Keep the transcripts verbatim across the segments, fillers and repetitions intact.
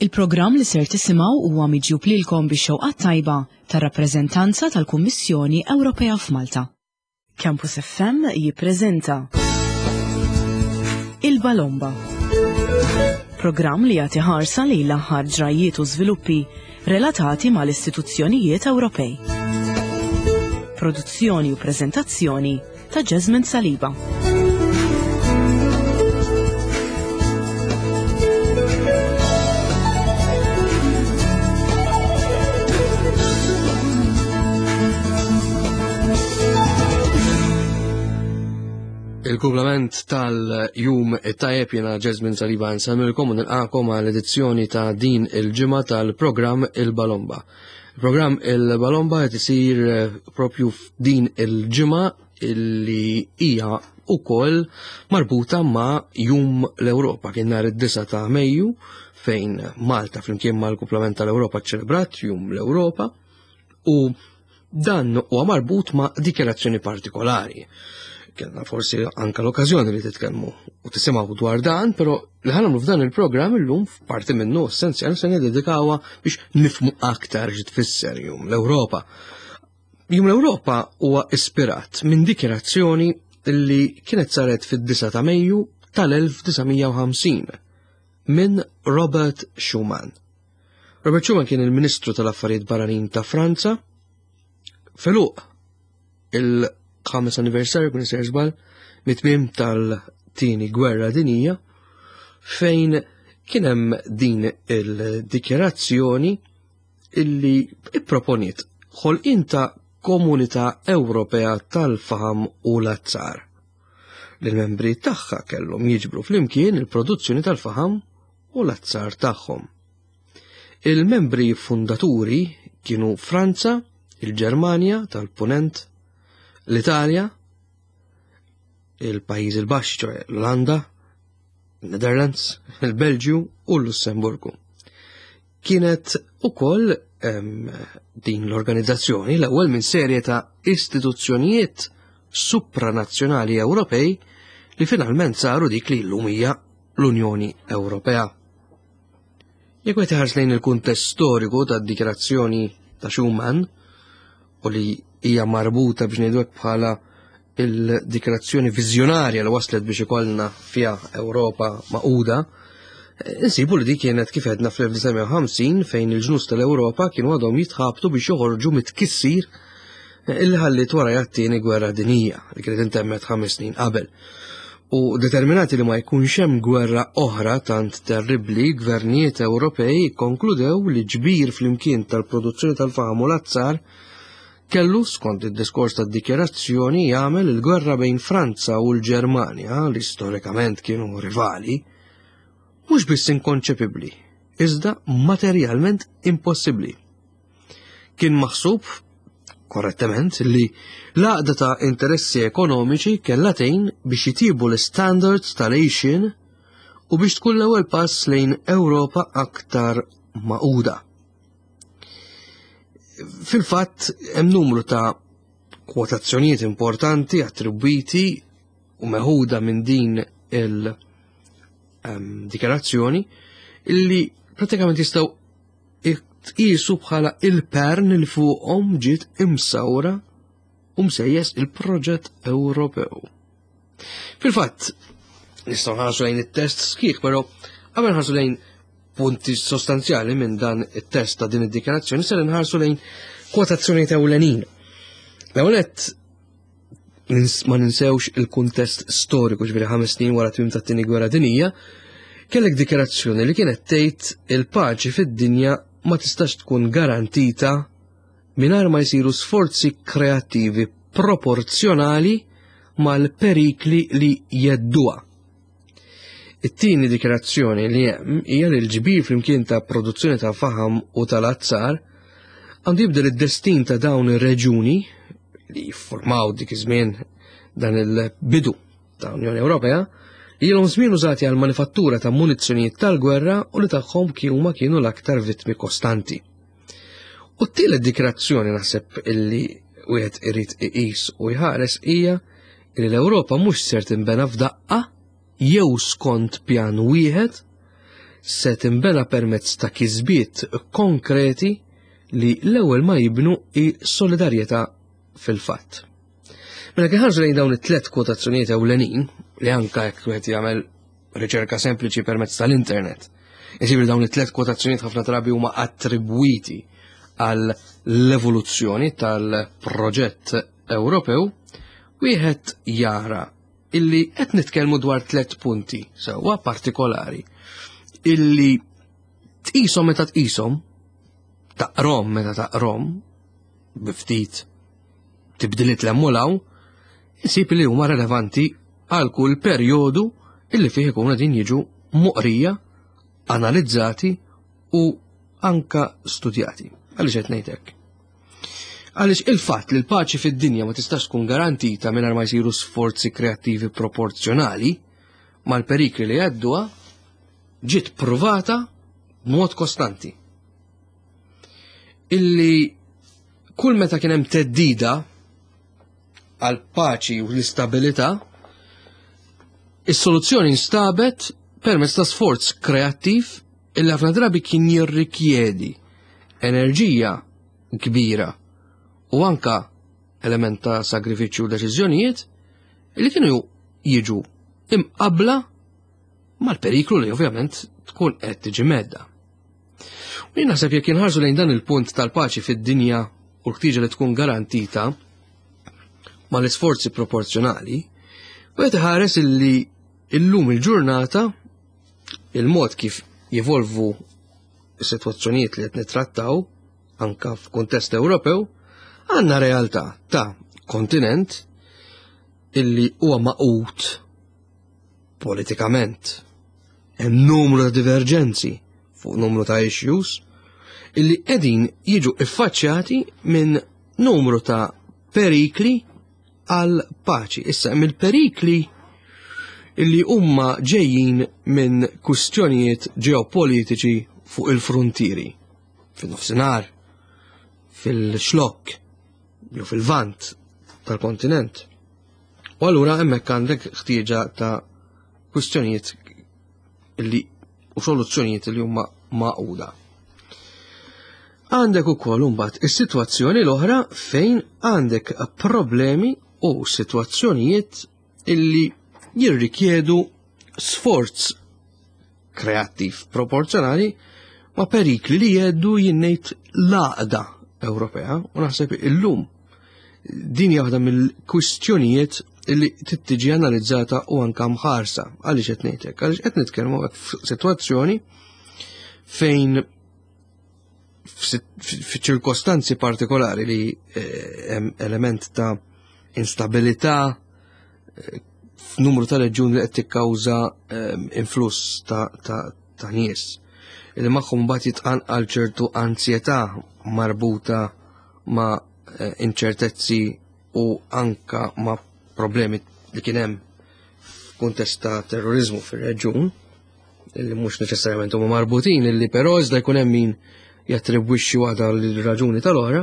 Il-programm li ser tisimgħu huwa miġjub lilkom bix-xewqa tajba tar-rappreżentanza tal-Kummissjoni Ewropea f'Malta. Campus F M jippreżenta Il-Balomba. Programm li jagħti ħarsa lejn l-aħħar ġrajiet u żviluppi relatati mal-istituzzjonijiet Ewropej. Produzzjoni u preżentazzjoni ta' Jasmine Saliba. Il-kumplament tal-jum it-tajjeb, jiena Jasmine Saliba, nsellmilkom u nilqagħkom għal edizzjoni ta' din il-ġimgħa tal-programm Il-Balomba. Il-programm Il-Balomba qed isir eh, propju f'din il-ġimgħa illi hija ukoll marbuta ma' Jum l-Ewropa. Kien nhar id-disgħa ta' Mejju fejn Malta flimkien mal-kumplament tal-Ewropa ċelebrat Jum l-Ewropa u dan huwa marbut ma' dikjarazzjoni partikolari. Kellna forsi anka l-okkażjoni li titkellmu u tisimgħu dwar dan, però li ħa nagħmlu f'dan il-programm illum, f'parti minnu essenzjali, se niddedikawha biex nifhmu aktar xi tfisser Jum l-Ewropa. Jum l-Ewropa huwa ispirat minn dikjarazzjoni li kienet saret fid-disgħa ta' Mejju tal-elf disa' mija u ħamsin minn Robert Schuman. Robert Schuman kien il-Ministru tal-Affarijiet Barranin ta' Franza fil il-ħames anniversarju, kun sejjer żball, mit-tmiem tal-Tieni Gwerra Dinija, fejn kien hemm din il-dikjarazzjoni illi ipproponiet ħolqien ta' Komunità Ewropea tal-Faham u l-Azzar. L-membri tagħha kellhom jiġbru flimkien il-produzzjoni tal-faham u l-azzar tagħhom. Il-membri fundaturi kienu Franza, il-Ġermanja tal-Punent, l-Italja, il-Pajjiżi l-Baxxi, ċoè l-Olanda, il-Netherlands, il-Belġju u l-Lussemburgu. Kienet ukoll din l-organizzazzjoni l-ewwel minn serje ta' istituzzjonijiet supranazzjonali Ewropej li finalment saru dik li llum hija l-Unjoni Ewropea. Jekk wieħed iħares lejn il-kuntest storiku tad-dikjarazzjoni ta' Schuman u li hija marbuta, biex ngħidu, bħala il-dikjarazzjoni viżjonarja li waslet biex ikollna fiha Ewropa magħquda, insibu li dik kienet, kif għedna, fl-elf disa' mija u ħamsin, fejn il-ġnus tal-Ewropa kienu għadhom jitħabtu biex joħorġu mit-tkissir illi ħallit wara t-Tieni Gwerra Dinija li kienet intemmet ħames snin qabel. U determinati li ma jkunx hemm gwerra oħra tant terribli, gvernijiet Ewropej konkludew li ġbir flimkien tal-produzzjoni tal-faham u l-azzar kellu, skont id-diskors tad-dikjarazzjoni, jagħmel il-gwerra bejn Franza u l-Ġermanja, li storikament kienu rivali, mhux biss inkonċepibbli, iżda materjalment impossibbli. Kien maħsub korrettement li l-għaqda ta' interessi ekonomiċi kellha tgħin biex jitibu l-standards tal-għixien u biex tkun l-ewwel pass lejn Ewropa aktar magħquda. Fil-fatt hemm numru ta' kwotazzjonijiet importanti attribwiti u meħuda minn din il-dikjarazzjoni illi pratikament jistgħu tqisu bħala il-pern li fuqhom ġiet imsawra u msejjes il-proġett Ewropew. Fil-fatt, nistgħu nħarsu lejn it-test sħiħ, però qabel nħarsu lejn punti sostanzjali minn dan it-test ta' din id-dikjarazzjoni, ser nħarsu lejn kwotazzjoni ewlenin. L-ewwel ma ninsewx il-kuntest storiku, ġifieri ħames snin wara tmiem tat-Tieni Gwerra Dinija, kellek dikjarazzjoni li kienet tgħid il-paċi fid-dinja ma tistax tkun garantita mingħajr ma jsiru sforzi kreattivi proporzjonali mal-perikli li jhedduha. It-tieni dikjarazzjoni li hemm hija li l-ġbir flimkien ta' produzzjoni ta' faham u tal-azzar għandu jibdel id-destin ta' dawn ir-reġuni li jiffurmaw dik iż-żmien dan il-bidu ta' Unjoni Ewropea, li ilhom żmien użati għal manifattura ta' munizzjonijiet tal-gwerra u li tagħhom huma kienu l-aktar vittmi kostanti. U t-tielet dikjarazzjoni naħseb illi wieħed irid iqis u jħares hija li l-Ewropa mhux ser tinbena f'daqqa jew skont pjan wieħed, se tinbena permezz ta' kisbiet konkreti li l-ewwel ma jibnu hi solidarjetà fil-fatt. Mela kif ħarġu lejn dawn it-tlet kwotazzjonijiet ewlenin li anka jekk wieħed jagħmel riċerka sempliċi permezz tal-internet, isib li dawn it-tlet kwotazzjonijiet ħafna drabi huma attribwiti għal l-evoluzzjoni tal-proġett Ewropew, wieħed jara illi qed nitkellmu dwar tlet punti sewwa partikolari illi tqishom meta tqishom, taqrom meta taqrom, bi ftit tibdiliet l-emmulaw, isib li huma relevanti għal kull perjodu illi fih ikunu din jiġu moqrija, analizzati u anka studjati. Għaliex qed ngħid hekk? Għaliex il-fatt li l-paċi fid-dinja ma tistax tkun garantita mingħajr ma jsiru sforzi kreattivi proporzjonali mal-perikli li għadduha ġiet pruvata b'mod kostanti. Illi kull meta kien hemm teddida għal paċi u l-istabilità, is-soluzzjoni instabet permezz ta' sforz kreattiv illi ħafna drabi kien jirrikjedi enerġija kbira u anka element ta' sagrifiċċju u deċiżjonijiet li kienu jiġu imqabla mal-periklu li ovvjament tkun qed tiġi medda. U jien naħseb jekk inħarsu lejn dan il-punt tal-paċi fid-dinja u l-ħtieġa li tkun garantita mal-isforzi proporzjonali, u qed iħares illi illum il-ġurnata il-mod kif jevolvu s-sitwazzjonijiet li qed nittrattaw anka f'kuntest Ewropew, għandna realtà ta' kontinent illi huwa maqut politikament. Hemm numru ta' diverġenzi fuq numru ta' issues illi qegħdin jiġu iffaċċjati minn numru ta' perikli għal paċi. Issa hemm il-perikli illi huma ġejjin minn kwistjonijiet ġeopolitiċi fuq il-frontieri, fin-nofsinhar, fil-xlokk, jew fil-vant tal-kontinent. U allura hemmhekk għandek ħtieġa ta' kwistjonijiet illi u soluzzjonijiet li huma maquda. Għandek ukoll imbagħad is-sitwazzjoni l-oħra fejn għandek problemi u sitwazzjonijiet illi jirrikjedu sforz kreattiv proporzjonali ma' perikli li jeddu jinnejt l-għaqda Ewropea u naħseb illum din hija waħda mill-kwistjonijiet illi tittiġi analizzata u anka mħarsa. Għaliex qed ngħidlek? Għaliex qed nitkellmu f'sitwazzjoni fejn f'ċirkostanzi partikolari li hemm element ta' instabilità f'numru ta' reġjuni li qed tikkawża influss ta' ta' nies li magħhom mbagħad jitqanqal ċertu ansjetà marbuta ma' inċertezzi u anka ma' problemi li kien hemm f'kuntest ta' terrorizmu fir-reġjun li mhux neċessarjament huma marbutin, illi però iżda jkun hemm min jattribwixxi waħda l-raġuni tal-oħra.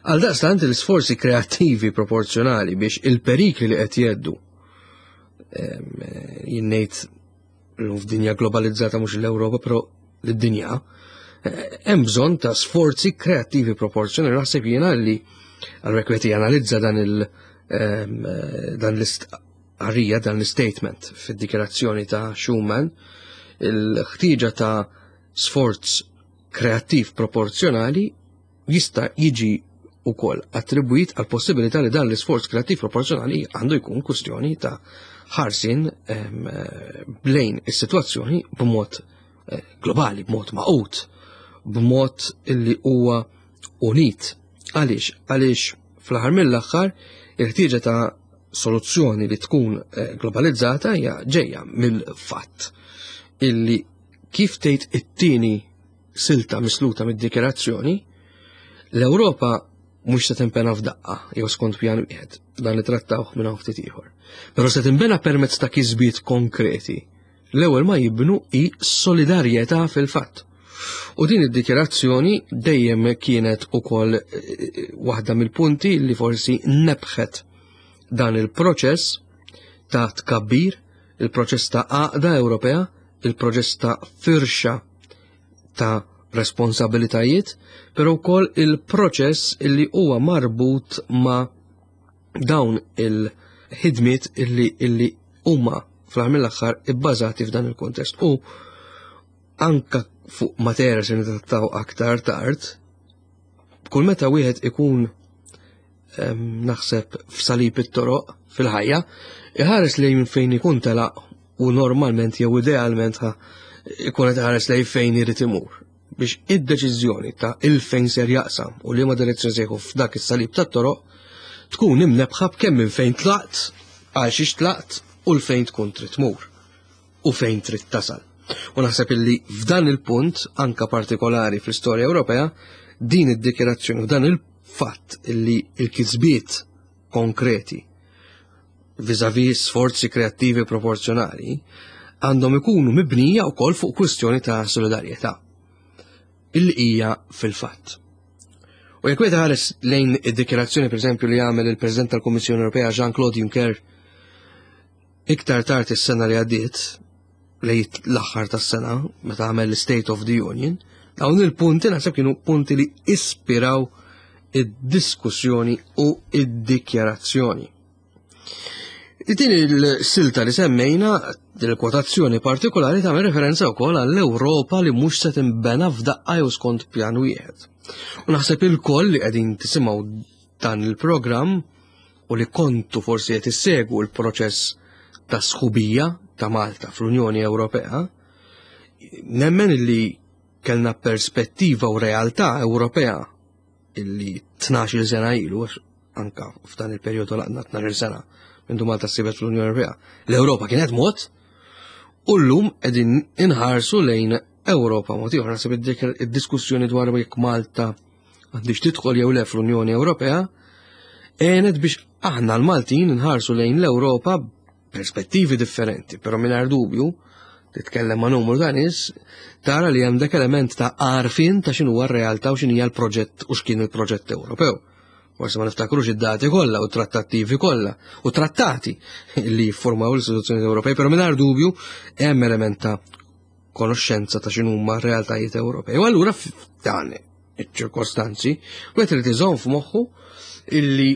Għal daqstant l-isforzi kreattivi proporzjonali biex il-perikli li qed jeddu jinnejt f'dinja globalizzata mhux l-Ewropa però l-dinja, hemm bżonn ta' sforzi kreattivi proporzjonali. Naħseb jiena li għal wieħed janalizza dan il dan l-istqarrija, dan l-statement fid-dikjarazzjoni ta' Schuman, il-ħtieġa ta' sforz kreattiv proporzjonali jista' jiġi wkoll attribwit għal possibilità li dan l-isforz kreattiv proporzjonali għandu jkun kwistjoni ta' ħarsin lejn is-sitwazzjoni b'mod globali, b'mod maqut, b'mod illi huwa unit. Għaliex? Għaliex fl-aħħar mill-aħħar il-ħtieġa ta' soluzzjoni li tkun globalizzata hija ġejja mill-fatt illi kif tgħid it-tieni silta misluta mid-dikjarazzjoni, l-Ewropa mhux se tinbena f'daqqa jew skont pjan wieħed, dan li trattawh minn hawn ftit ieħor. Però se tinbena permezz ta' kisbiet konkreti. L-ewwel ma jibnu hi solidarjetà fil-fatt. U din id-dikjarazzjoni dejjem kienet ukoll waħda mill-punti li forsi nebħet dan il-proċess ta' tkabbir, il-proċess ta' għaqda Ewropea il-proċess ta' firxa ta' responsabilitajiet, però wkoll il-proċess illi huwa marbut ma' dawn il-ħidmiet illi illi huma fl-aħħar mill-aħħar ibbażati f'dan il-kontest. U anka fuq materja se nittrattaw aktar tard, kull meta wieħed ikun naħseb f'salib it-toroq fil-ħajja, iħares lejn fejn ikun telaq u normalment jew idealment ħa ikun qed iħares lejn fejn irid imur biex id-deċiżjoni ta' il-fejn ser jaqsam u liema direzzjoni se jieħu f'dak is-salib tat-toroq tkun imnebħa b'kemm minn fejn tlaqt, għal xiex tlaqt u l-fejn tkun trid tmur u fejn trid tasal. U naħseb illi f'dan il-punt, anka partikolari fl-istorja Ewropea, din id-dikjerazzjoni u dan il-fatt illi il-kisbiet konkreti vis-a-vis sforzi kreattivi proporzjonali għandhom ikunu mibnija wkoll fuq kwistjoni ta' solidarjetà illi hija fil-fatt. U jekk wieħed ħares lejn id-dikjerazzjoni pereżempju li għamel il-President tal-Kummissjoni Ewropea Jean-Claude Juncker iktar tard is-sena li għaddiet, lejn l-aħħar tas-sena meta għamel l-State of the Union, dawn il-punti naħseb kienu punti li ispiraw id-diskussjoni u id-dikjarazzjoni. Din il-silta li semmejna, din il-kwotazzjoni partikolari tagħmel referenza wkoll għall-Ewropa li mhux se tinbena f'daqqa jew skont pjan wieħed. U naħseb il-koll li qegħdin tisimgħu dan il-programm u li kontu forsi qed issegwu l-proċess ta' sħubija ta' Malta fl-Unjoni Ewropea, nemmen li kellna perspettiva u realtà Ewropea illi tnax-il sena ilu, għax anka f'dan il-perjodu laqna tnax-il sena mindu Malta ssibet fl-Unjoni Ewropea. L-Ewropa kienet mod u llum qegħdin inħarsu lejn Ewropa mod ieħor. Naħseb id-diskussjoni dwar jekk Malta għandix tidħol jew le fl-Unjoni Ewropea għenet biex aħna l-Maltin nħarsu lejn l-Ewropa perspettivi differenti, però mingħajr dubju titkellem ma' numru ta' nies tara li hemm dak element ta' għarfien ta' x'inhu r-realtà u x'inhi l-proġett u x'kien il-proġett Ewropew. Forse ma niftakrux id-dati kollha u trattattivi kollha u trattati li jiffurmaw l-istituzzjoni Ewropej, però mingħajr dubju hemm element ta' konoxxenza ta' x'inhuma r-realtajiet Ewropej. U allura f'dan iċ-ċirkostanzi wieħed irid iżomm f'moħħu illi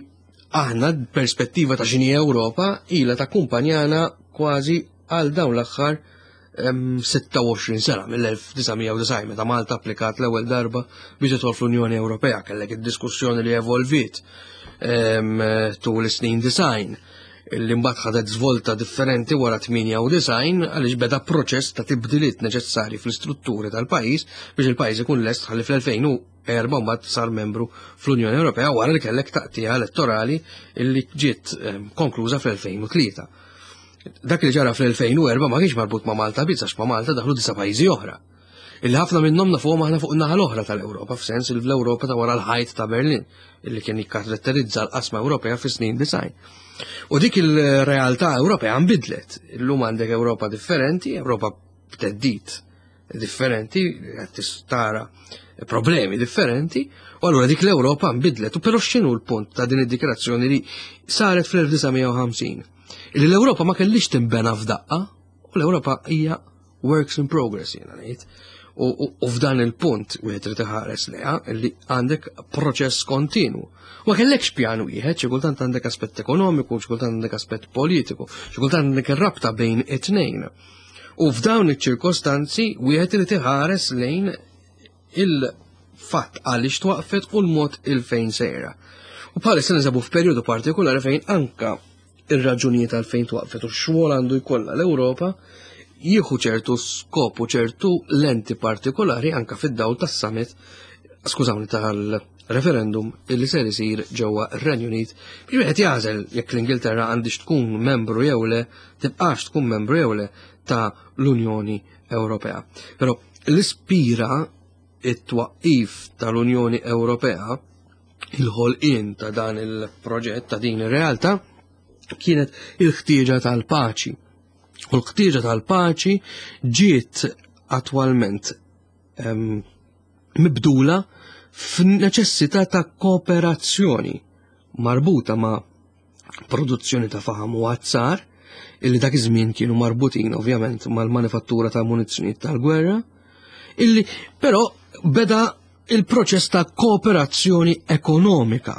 aħna perspettiva ta' x'inhi Ewropa ilha takkumpanjana kważi għal dawn l-aħħar sitta u għoxrin sena mill-elf disa' mija u disgħin meta Malta applikat l-ewwel darba biex tidħol fl-Unjoni Ewropea. Kellek id-diskussjoni li evolviet tul is-snin design li mbagħad ħadet żvolta differenti wara tmienja u disgħin għaliex beda proċess ta' tibdiliet neċessarji fl-istrutturi tal-pajjiż biex il-pajjiż ikun lest ħalli fl-elfejn u erba' mbagħad sar membru fl-Unjoni Ewropea wara li kellek taqtiegħa elettorali illi ġiet konkluża fl-elfejn u tlieta. Dak li ġara fl-elfejn u erba' ma kienx marbut ma' Malta biss għax ma' Malta daħlu disa' pajjiżi oħra. Illi ħafna minnhom nafuhom aħna fuq in-naħa l-oħra tal-Ewropa, f'sens li fl-Ewropa ta' wara l-ħajt ta' Berlin, illi kien jikkaratterizza l-qasma Ewropea fis-snin design. U dik il-realtà Ewropea nbidlet. Illum għandek Ewropa differenti, Ewropa b'teddid differenti, qed tara problemi differenti, u allura dik l-Ewropa nbidlet. U però x'inhu l-punt ta' din id-dikjarazzjoni li saret fl-elf disa' mija u ħamsin? Illi l-Ewropa ma kellix tinbena f'daqqa, u l-Ewropa hija works in progress, jiena ngħid. U, u, u f'dan il-punt wieħed irid iħares lejha li għandek proċess kontinu. Ma kellekx pjan wieħed, xi kultant għandek aspett ekonomiku, xi kultant għandek aspett politiku, xi kultant għandek ir-rabta bejn it-tnejn. U f'dawn iċ-ċirkostanzi wieħed irid iħares lejn il-fatt għaliex twaqfet u l-mod il-fejn sejra. U bħalissa ninsabu f'perjodu partikolari fejn anka ir-raġunijiet għalfejn twaqfet u x-xogħol għandu jkollha l-Ewropa jieħu ċertu skop u ċertu lenti partikolari anka fid-dawl tas-summit, skużawni, tal-referendum illi ser isir ġewwa r-Renju Unit biex wieħed jagħżel jekk l-Ingilterra għandix tkun membru jew le, tibqax tkun membru jew le ta' l-Unjoni Ewropea. Però l-ispira it-twaqqif tal-Unjoni Ewropea, il-ħolqien ta' dan il-proġett, ta' din ir-realtà, kienet il-ħtieġa tal-paċi. U l-ħtieġa tal-paċi ġiet attwalment, ehm, mibdula f'neċessità ta' kooperazzjoni marbuta ma' produzzjoni ta' faħam u azzar, illi dak iż-żmien kienu marbutin ovvjament mal-manifattura ta' munizzjonijiet tal-gwerra, illi però beda il-proċess ta' kooperazzjoni ekonomika.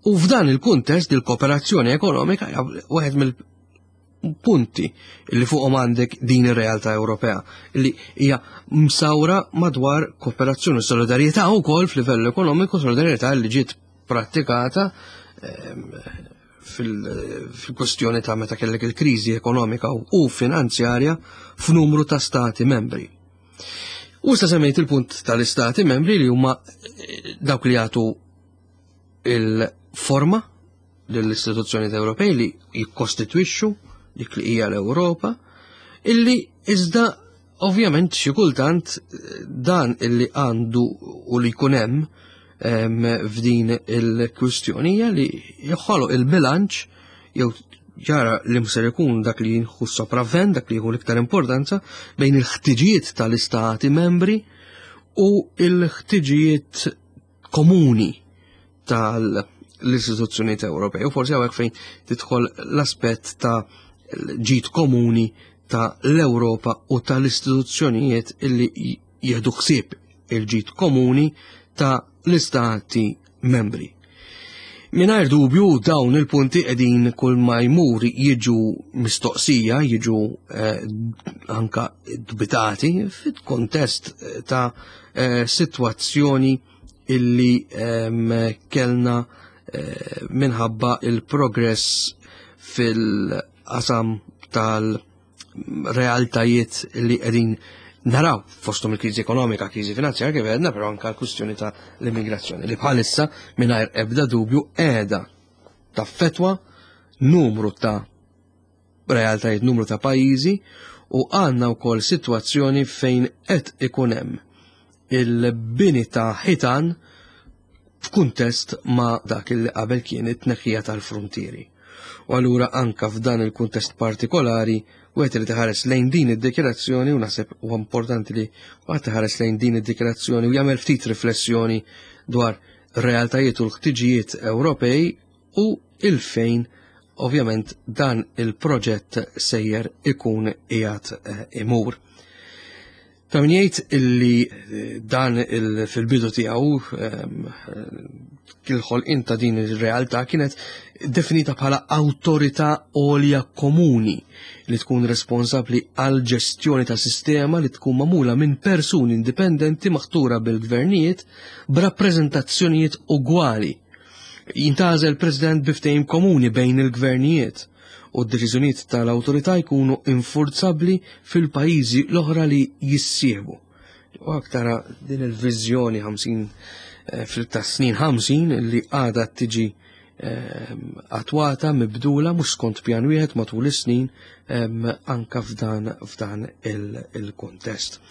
U f'dan il-kuntest il-kooperazzjoni ekonomika hija wieħed mill-punti li fuqhom għandek din ir-realtà Ewropea li hija msawra madwar kooperazzjoni u solidarjetà wkoll f'livell ekonomiku, solidarjetà li ġiet prattikata ehm, fil-kwestjoni ta' meta kellek il-kriżi ekonomika u finanzjarja f'numru ta' stati membri. U issa semmejt il-punt tal-istati membri li huma eh, dawk li jagħtu il-forma lill-istituzzjonijiet Ewropej li jikkostitwixxu dik li hija l-Ewropa, illi iżda ovvjament xi kultant eh, dan illi għandu u li jkun hemm f'din il-kwistjoni hija li joħoloq il-bilanċ jew jara li mser ikun dak li jieħu sopravvent, dak li jieħu l-iktar importanza bejn il-ħtiġijiet tal-istati membri u il-ħtiġijiet komuni tal-istituzzjonijiet Ewropej. U forsi hawnhekk fejn tidħol l-aspett ta' ġid komuni ta' l-Ewropa u tal-istituzzjonijiet illi jieħdu ħsieb il-ġid komuni ta' l-istati membri. Mingħajr dubju dawn il-punti qegħdin kull ma jmur jiġu mistoqsija, jiġu eh, anka dubitati fit-kontest ta' eh, sitwazzjoni illi eh, kellna eh, minħabba il-progress fil-qasam tal-realtajiet li qegħdin naraw fosthom il-kriżi ekonomika, kriżi finanzjarja kif għedna, però anka l-kwistjoni ta' l-immigrazzjoni li bħalissa mingħajr ebda dubju qiegħda taffetwa numru ta' realtajiet, numru ta' pajjiżi u għandna wkoll sitwazzjoni fejn qed ikun hemm il-bini ta' ħitan f'kuntest ma' dak li qabel kien it-tneħħija tal-frontieri. U allura anka f'dan il-kuntest partikolari wieħed irid iħares lejn din id-dikjarazzjoni u naħseb huwa importanti li wieħed iħares lejn din id-dikjarazzjoni u jagħmel ftit riflessjoni dwar realtajiet u l-ħtiġijiet Ewropej u il-fejn ovvjament dan il-proġett sejjer ikun qiegħed eh, imur. Ta' min jgħid illi eh, dan il- fil-bidu tiegħu ehm, il-ħolqien ta' din ir-realtà kienet definita bħala awtorità għolja komuni li tkun responsabbli għal ġestjoni ta' sistema li tkun magħmula minn persuni indipendenti maħtura bil-gvernijiet b'rappreżentazzjonijiet ugwali. Jintgħażel president bi ftehim komuni bejn il-gvernijiet u d-deċiżjonijiet tal-awtorità jkunu infurzabbli fil-pajjiżi l-oħra li jissieħbu. U aktar din il-viżjoni ħamsin eh, fil-ta' snin ħamsin li għadha tiġi eh, attwata mibdula mhux skont pjan wieħed matul is-snin eh, anka f'dan f'dan il-kontest.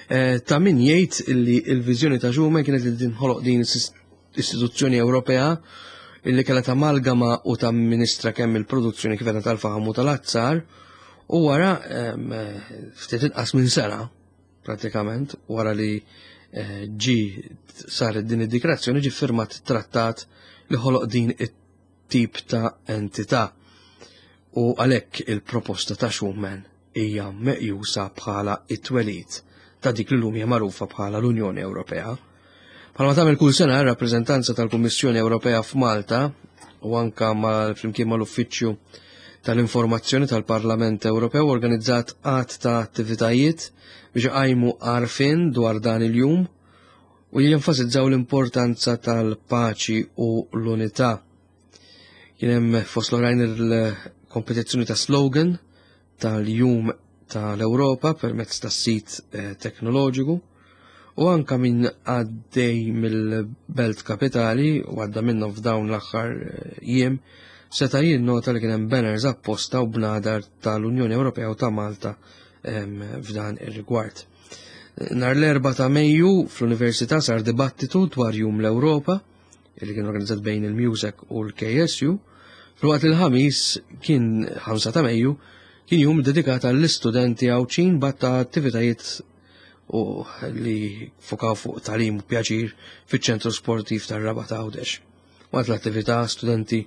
Ta' min jgħid li l-viżjoni ta' Schuman kienet li tinħoloq din istituzzjoni Ewropea illi kellha tamalgama u tamministra kemm il-produzzjoni kif qed tal-faħam u tal-azzar u wara ftit inqas minn sena pratikament wara li ġi saret din id-dikrazzjoni ġi firmat trattat li ħoloq din it-tip ta' entità. U għalhekk il-proposta ta' Schuman hija meqjusa bħala it-twelid ta' dik li llum hija magħrufa bħala l-Unjoni Ewropea. Bħalma tagħmel kull sena r-rappreżentanza tal-Kummissjoni Ewropea f'Malta u anka mal flimkien mal-Uffiċċju tal-Informazzjoni tal-Parlament Ewropew organizzat għadd ta' attivitajiet biex iqajmu għarfien dwar dan il-jum u jenfasizzaw l-importanza tal-paċi u l-unità. Kien hemm fost l-oħrajn il-kompetizzjoni ta' slogan tal-jum tal-Ewropa permezz tas-sit eh, teknoloġiku u anka min għaddej mill-belt kapitali u għadda minnhom f'dawn l-aħħar eh, jiem seta' jinnota li kien hemm banners apposta u bnadar tal-Unjoni Ewropea u ta' Malta f'dan ir-rigward. Nhar l-erba' ta' Mejju fl-Università sar dibattitu dwar Jum l-Ewropa li kien organizzat bejn il-MUSEC u l-K S U, filwaqt li l-Ħamis kien ħamsa ta' Mejju kien jum dedikat għall-istudenti Għawdxin b'għadd ta' attivitajiet u li fokaw fuq tagħlim u pjaċir fiċ-ċentru sportiv tar-Rabat Għawdex. Waqt l-attività studenti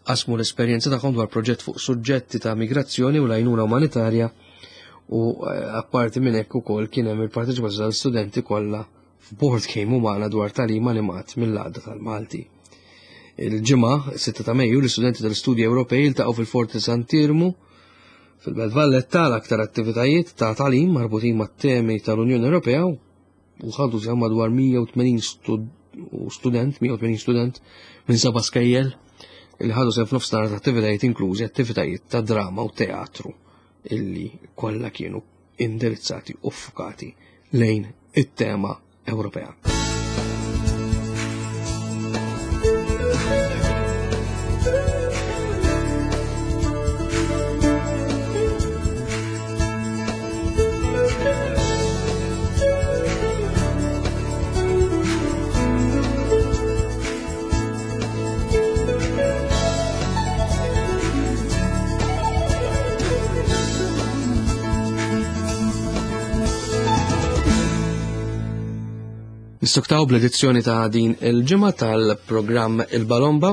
qasmu l-esperjenza tagħhom dwar proġett fuq suġġetti ta' migrazzjoni u l-għajnuna umanitarja u apparti minn hekk ukoll kien hemm il-parteċipazzjoni tal-studenti kollha f'board game umana dwar tagħlim animat mill-għaqda tal-Malti. Il-ġimgħa, sitta ta' Mejju, l-istudenti tal-Istudji Ewropej iltaqgħu fil-Forti Sant'Iermu fil-Belt Valletta l-aktar attivitajiet ta' tagħlim marbutin mat-temi tal-Unjoni Ewropea u ħadu sehem madwar mija u tmenin student, mija u tmenin student minn seba' skejjel li ħadu sehem f'nofs nhar ta' attivitajiet inklużi attivitajiet ta' drama u teatru illi kollha kienu indirizzati u ffukati lejn it-tema Ewropea. Nissuktaw bl-edizzjoni ta' din il-ġimgħa tal-programm Il-Balomba.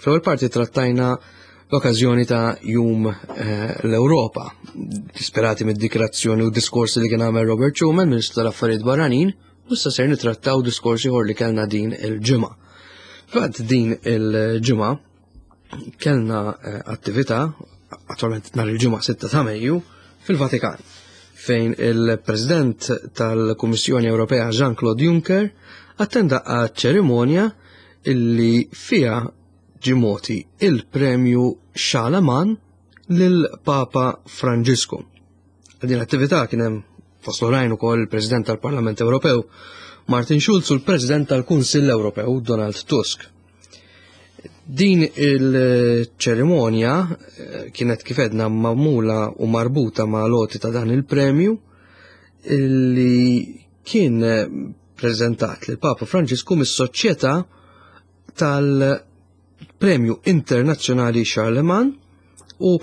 Fl-ewwel parti trattajna l-okkażjoni ta' Jum l-Ewropa, disperati mid-dikrazzjoni u diskorsi li kien għamel Robert Schuman, Ministru tal-Affarijiet Barranin, u issa ser nittrattaw diskorsi ieħor li kellna din il-ġimgħa. Fatt din il-ġimgħa kellna attività, attualment nhar il-ġimgħa sitta ta' Mejju, fil-Vatikan, fejn il-President tal-Kummissjoni Ewropea Jean-Claude Juncker attenda għal ċerimonja illi fiha ġimoti il-premju Charlemagne lil Papa Franġisku. Għal din l-attività kien hemm fost oħrajn ukoll il-President tal-Parlament Ewropew Martin Schulz u l-President tal-Kunsill Ewropew Donald Tusk. Din il-ċerimonja kienet kif edna magħmula u marbuta ma' loti ta' dan il-premju illi kien preżentat lil Papa Franġisku mis-Soċjetà tal-Premju Internazzjonali Charlemagne u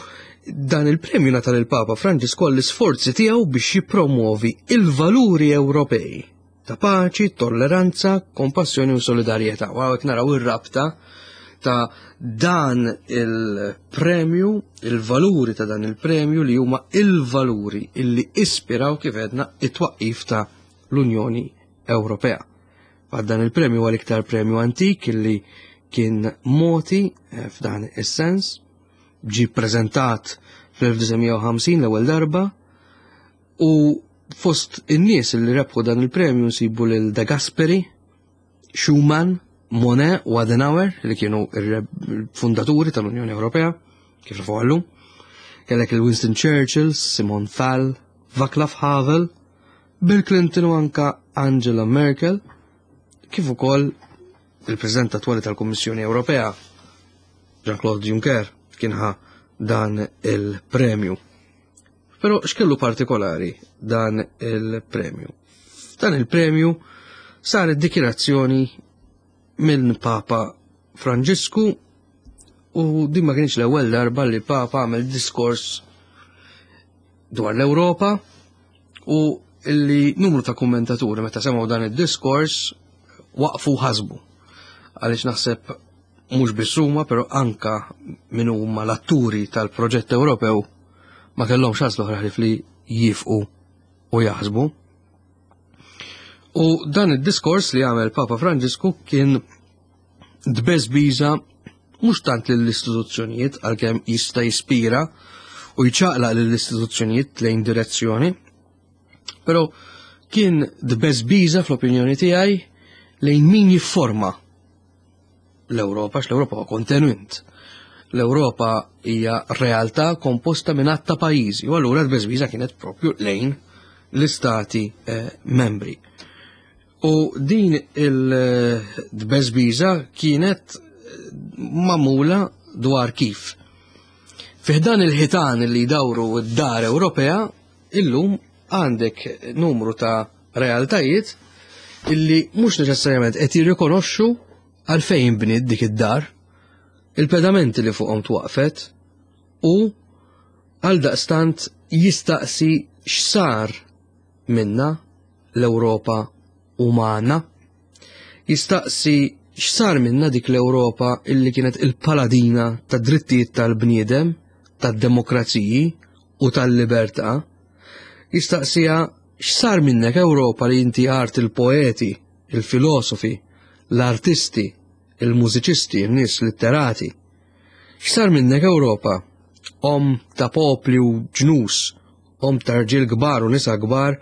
dan il-premju ngħata lil Papa Franġisku għall-isforzi tiegħu biex jippromuovi il-valuri Ewropej ta' paċi, tolleranza, kompassjoni u solidarjetà. U hawnhekk naraw ir-rabta ta' dan il-premju, il-valuri ta' dan il-premju li huma il-valuri illi ispiraw kif edna it-twaqqif ta' l-Unjoni Ewropea. Għad dan il-premju huwa l-iktar premju antik illi kien moti f'dan is-sens, ġie ppreżentat fl-elf disa' mija u ħamsin l-ewwel darba u fost in-nies li rebħu dan il-premju nsibu lil De Gasperi, Schuman, Monnet u Adenauer li kienu il-fundaturi tal-Unjoni Ewropea, kif nafu għallum. Kellek il-Winston Churchill, Simon Fall, Václav Havel, Bill Clinton u anka Angela Merkel, kif ukoll il-President attwali tal-Kummissjoni Ewropea, Jean-Claude Juncker, kien ħa dan il-premju. Però x'kellu partikolari dan il-premju? F'dan il-premju saret dikjarazzjoni minn Papa Franġisku u din ma kienx l-ewwel darba li Papa għamel diskors dwar l-Ewropa u illi numru ta' kommentaturi meta semgħu dan id-diskors waqfu ħasbu. Għaliex naħseb mhux biss huma, però anka min huma l-atturi tal-proġett Ewropew ma kellhomx għażla oħra ħlief li jifqu u jaħsbu. U dan id-diskors li għamel Papa Franġisku kien dbeżbiża mhux tant lill-istituzzjonijiet għalkemm jista' jispira u jċaqlaq lill-istituzzjonijiet lejn direzzjoni, però kien dbeżbiża fl-opinjoni tiegħi lejn min jifforma l-Ewropa, għax l-Ewropa huwa kontenut. L-Ewropa hija realtà komposta minn għadd ta' pajjiżi, u allura l-beżbiża kienet propju lejn l-istati membri. U din il-dbeżbiża kienet magħmula dwar kif. Fih dan il-ħitan li jdawru d-dar Ewropea, illum għandek numru ta' realtajiet illi mhux neċessarjament qed jirrikonoxxu għalfejn bniet dik id-dar, il-pedamenti li fuqhom twaqfet u għal daqstant jistaqsi x'sar minna l-Ewropa umana, jistaqsi X'sar minna dik l-Ewropa illi kienet il-paladina tad-drittijiet tal-bniedem, tad-demokraziji u tal-libertà? Jistaqsija x'sar minnek Ewropa li inti art il-poeti, il-filosofi, l-artisti, il-mużiċisti, il-nies litterati. X'sar minnek Ewropa? Om ta' popli u ġnus, om ta' rġiel kbar u nisa kbar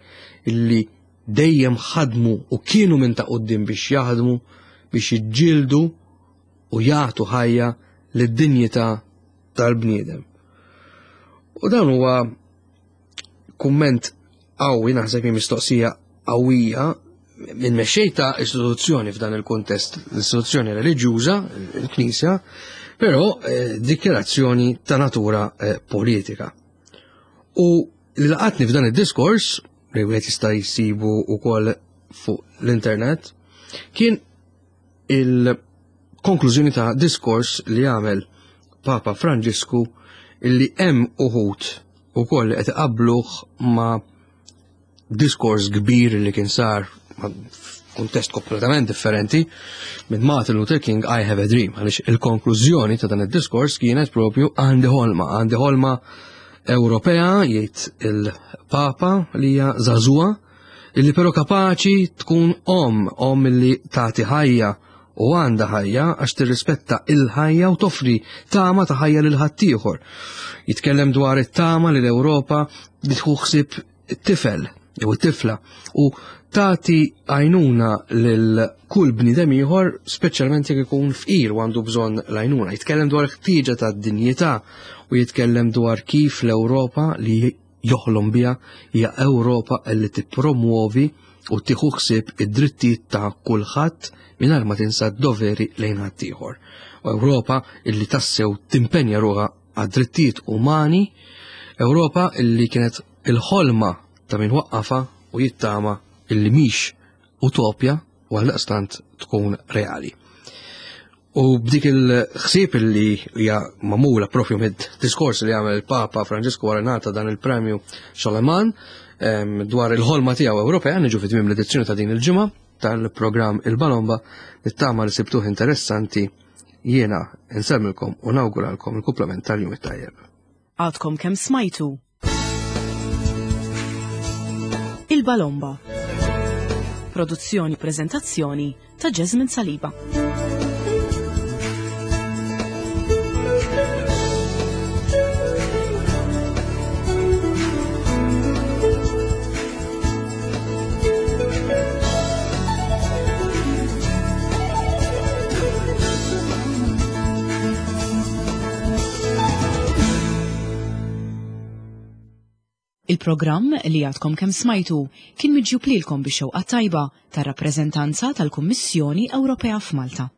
illi dejjem ħadmu u kienu minn ta' quddiem biex jaħdmu, biex jiġġieldu u jagħtu ħajja lid-dinjità tal-bniedem. U dan huwa kumment qawwi, naħseb hi mistoqsija qawwija minn mexxej ta' istituzzjoni f'dan il-kuntest, l-istituzzjoni reliġjuża, il-Knisja, però eh, dikjarazzjoni ta' natura eh, politika. U li laqatni f'dan id-diskors, li wieħed jista' jsibu wkoll fuq l-internet, kien il-konklużjoni ta' diskors li għamel Papa Franġisku illi hemm uħud ukoll qed iqabbluh ma' diskors kbir li kien sar f'kuntest kompletament differenti minn Martin Luther King, I Have a Dream, għaliex il-konklużjoni ta' dan id-diskors kienet propju għandi ħolma, għandi ħolma Ewropea, jgħid il-Papa, li hija żagħżugħa, illi però kapaċi tkun om, om illi tagħti ħajja u għandha ħajja għax tirrispetta il-ħajja u toffri tama ta' ħajja lil ħaddieħor. Jitkellem dwar it-tama li l-Ewropa li tieħu ħsieb it-tifel jew it-tifla u tagħti għajnuna lil kull bniedem ieħor, speċjalment jekk ikun fqir u għandu bżonn l-għajnuna. Jitkellem dwar ħtieġa ta' dinjità u jitkellem dwar kif l-Ewropa li joħlom biha hija Ewropa li tippromuovi u tieħu ħsieb id-drittijiet ta' kulħadd mingħajr ma tinsa d-doveri lejn ħaddieħor. U Ewropa illi tassew timpenja ruħha għad-drittijiet umani, Ewropa illi kienet il-ħolma ta' min waqqafa u jittama illi mhix utopja u għaldaqstant tkun reali. U b'dik il-ħsieb illi hija magħmula propju mid-diskors li għamel il-Papa Franġisku wara ngħata dan il-premju Charlemagne em, dwar il-ħolma tiegħu Ewropea, niġu fi tmiem l-edizzjoni ta' din il-ġimgħa tal-programm Il-Balomba, nittama li sibtuh interessanti. Jiena nsellmilkom u nawguralkom il-kumplament tal-jum it-tajjeb. Għadkom kemm smajtu Il-Balomba. Produzzjoni prezentazzjoni ta' Jasmine Saliba. Il-programm li għadkom kemm smajtu kien miġjub lilkom bix-xewqa tajba tar-rappreżentanza tal-Kummissjoni Ewropea f'Malta.